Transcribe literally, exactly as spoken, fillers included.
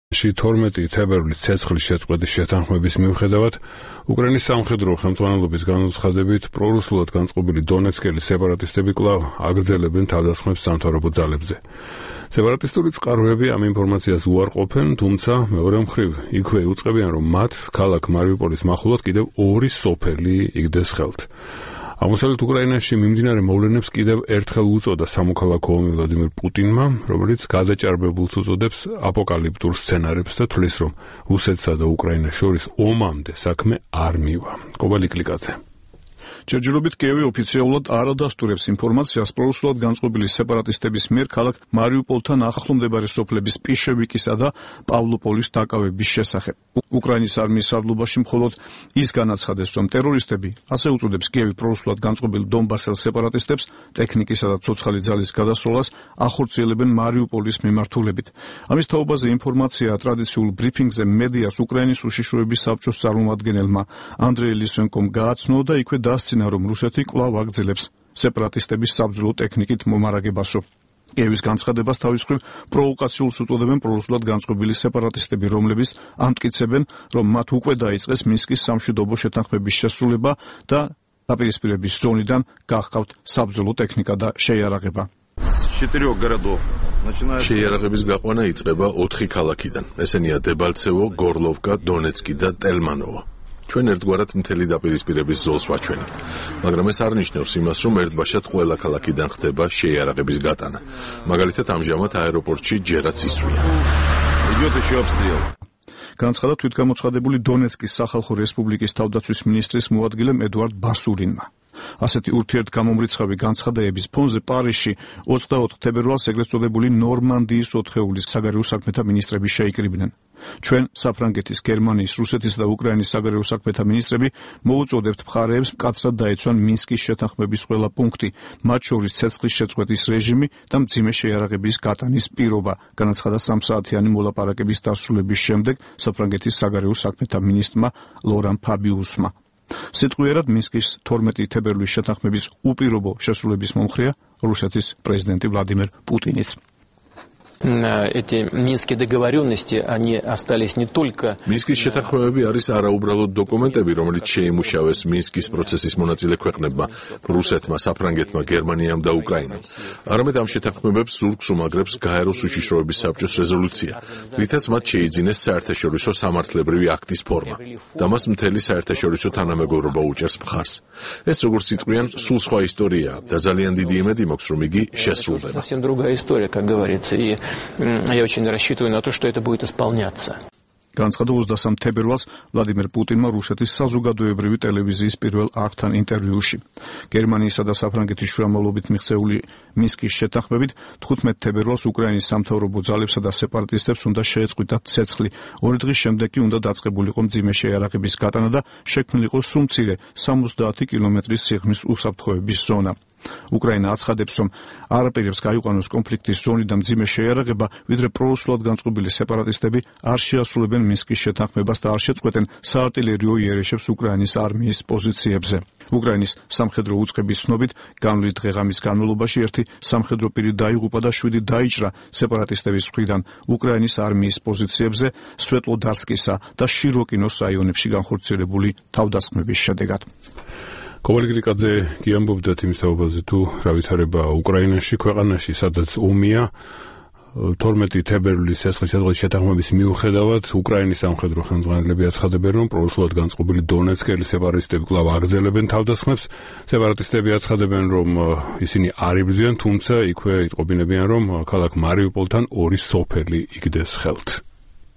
თორმეტი თებერვლის ცეცხლის შეწყვეტის შეთანხმების მიუხედავად, უკრაინის სამხედრო ხელმძღვანელობის განუცხადებით პრორუსულად განწყობილი დონეცკელი სეპარატისტები კვლავ აგრძელებენ თავდასხმებს სამთავრობო ძალებზე. სეპარატისტული წყაროები ამ ინფორმაციას უარყოფენ, თუმცა მეორე მხრივ იქვე იუწყებიან, რომ მათ ქალაქ მარიუპოლის მახლობლად კიდევ ორი სოფელი იგდეს ხელთ. აღმოსავლეთ უკრაინაში მიმდინარე მოვლენებს კიდევ ერთხელ უწოდა სამოქალაქო ომი ვლადიმერ პუტინმა, რომელიც გადაჭარბებულს უწოდებს აპოკალიფტურ სცენარებს და თვლის, რომ რუსეთსა და უკრაინას შორის ომამდე საქმე არ მივა. კობალი კლიკაძე. ჯერჯერობით კიევი ოფიციალურად არ ადასტურებს ინფორმაციას პრორუსულად განწყობილი სეპარატისტების მიერ ქალაქ მარიუპოლთან ახლომდებარე სოფლების პიშევიკისა და პავლოპოლის დაკავების შესახებ. უკრაინის არმიის სარდლობაში მხოლოდ ის განაცხადეს, რომ ტერორისტები, ასე უწოდებს კიევი პრორუსულად განწყობილ დონბასელ სეპარატისტებს, ტექნიკისა და ცოცხალი ძალის გადასროლას ახორციელებენ მარიუპოლის მიმართულებით. ამის თაობაზე ინფორმაცია ტრადიციულ ბრიფინგზე მედიას უკრაინის უშიშროების საბჭოს წარმომადგენელმა ანდრეი ლისენკომ გააცნო და იქვე დასცინა, რომ რუსეთი კვლავ აგრძელებს სეპარატისტების საბრძოლო ტექნიკით მომარაგებასო. კიევის განცხადებას თავის მხრივ პროვოკაციულს უწოდებენ პრორუსულად განწყობილი სეპარატისტები, რომლებიც ამტკიცებენ, რომ მათ უკვე დაიწყეს მინსკის სამშვიდობო შეთანხმების შესრულება და დაპირისპირების ზონიდან გახავთ საბრძოლო ტექნიკა და შეიარაღება. შეიარაღების გაყვანა იწყება ოთხი ქალაქიდან. ესენია დებალცევო, გორლოვკა, დონეცკი და ტელმანოვო. ჩვენ ერთგვარად მთელი დაპირისპირების ზოლს ვაჩვენებთ, მაგრამ ეს არ ნიშნავს იმას, რომ ერთბაშად ყველა ქალაქიდან ხდება შეიარაღების გატანა. მაგალითად, ამჟამად აეროპორტში ჯერაც ისვრია. განცხადა თვითგამოცხადებული დონეცკის სახალხო რესპუბლიკის თავდაცვის მინისტრის მოადგილემ ედუარდ ბასურინმა. ასეთი ურთიერთგამომრიცხავი განცხადების ფონზე პარიზში ოცდაოთხ თებერვალს ეგრეთ წოდებული ნორმანდიის ოთხეულის საგარეო საქმეთა მინისტრები შეიკრიბნენ. ჩვენ საფრანგეთის, გერმანიის, რუსეთის და უკრაინის საგარეო საქმეთა მინისტრები მოუწოდებთ მხარეებს მკაცრად დაეცვან მინსკის შეთანხმების ყველა პუნქტი, მათ შორის ცეცხლის შეწყვეტის რეჟიმი და მძიმე შეიარაღების გატანის პირობა, განაცხადა სამსაათიანი მოლაპარაკების დასრულების შემდეგ საფრანგეთის საგარეო საქმეთა მინისტრმა ლორან ფაბიუსმა. სიტყვიერად მინსკის თორმეტი თებერვლის შეთანხმების უპირობო შესრულების მომხრეა რუსეთის პრეზიდენტი ვლადიმერ პუტინიც. Эти минские договоренности, они остались не только... მინსკის შეთანხმებები არის არაუბრალოდ დოკუმენტები, რომელიც შეიმუშავეს მინსკის პროცესის მონაწილე ქვეყნებმა, რუსეთმა, საფრანგეთმა, გერმანიამ და უკრაინამ. არამედ ამ შეთანხმებებს ზურგს უმაგრებს გაეროს უშიშროების საბჭოს რეზოლუცია, რითაც მათ შეიძინეს საერთაშორისო სამართლებრივი აქტის ფორმა და მას მთელი საერთაშორისო თანამეგობრობა უჭერს მხარს. ეს როგორც იტყვიან, სულ სხვა ისტორიაა და ძალიან დიდი იმედი მაქვს, რომ იგი შესრულდება. Совсем другая история, как говорится, и я очень рассчитываю на то, что это будет исполняться. განცხადა ოცდასამ თებერვალს ვლადიმერ პუტინმა რუსეთის საზოგადოებრივი ტელევიზიის პირველ არხთან ინტერვიუში. გერმანიისა და საფრანგეთის შუამავლობით მიღწეული მინსკის შეთანხმებით თხუთმეტ თებერვალს უკრაინის სამთავრობო ძალებსა და სეპარატისტებს უნდა შეეწყვიტათ ცეცხლი. ორი დღის შემდეგ კი უნდა დაწყებულიყო მძიმე შეიარაღების გატანა და შექმნილიყო სულ მცირე სამოცდაათი კილომეტრის სიღრმის უსაფრთხოების ზონა. უკრაინა აცხადებს, რომ არაპირებს გაიყვანოს კონფლიქტის ზონი და მძიმე შეიარაღება, ვიდრე პრორუსულად განწყობილი სეპარატისტები არ შეასრულებენ მინსკის შეთანხმებას და არ შეწყვეტენ საარტილერიო იერიშებს უკრაინის არმიის პოზიციებზე. უკრაინის სამხედრო უწყების ცნობით, განვლით დღე-ღამის განმავლობაში ერთი სამხედრო პირი დაიღუპა და შვიდი დაიჭრა სეპარატისტების მხრიდან უკრაინის არმიის პოზიციებზე სვეტლოდარსკისა და შიროკინოს რაიონებში განხორციელებული თავდასხმების შედეგად. კობალი კლიკაძე კი ამბობდათ იმის თაობაზე, თუ რა ვითარება უკრაინაში, ქვეყანაში, სადაც ომია. თორმეტი თებერვლის ცეცხლის შეწყვეტის შეთანხმების მიუხედავად, უკრაინის სამხედრო ხელმძღვანელები აცხადებენ, რომ პრორუსულად განწყობილი დონეცკელი სეპარატისტები კვლავ აგრძელებენ თავდასხმებს. სეპარატისტები აცხადებენ, რომ ისინი არ იბრძვიან, თუმცა იქვე იტყობინებიან, რომ ქალაქ მარიუპოლთან ორი სოფელი იგდეს ხელთ.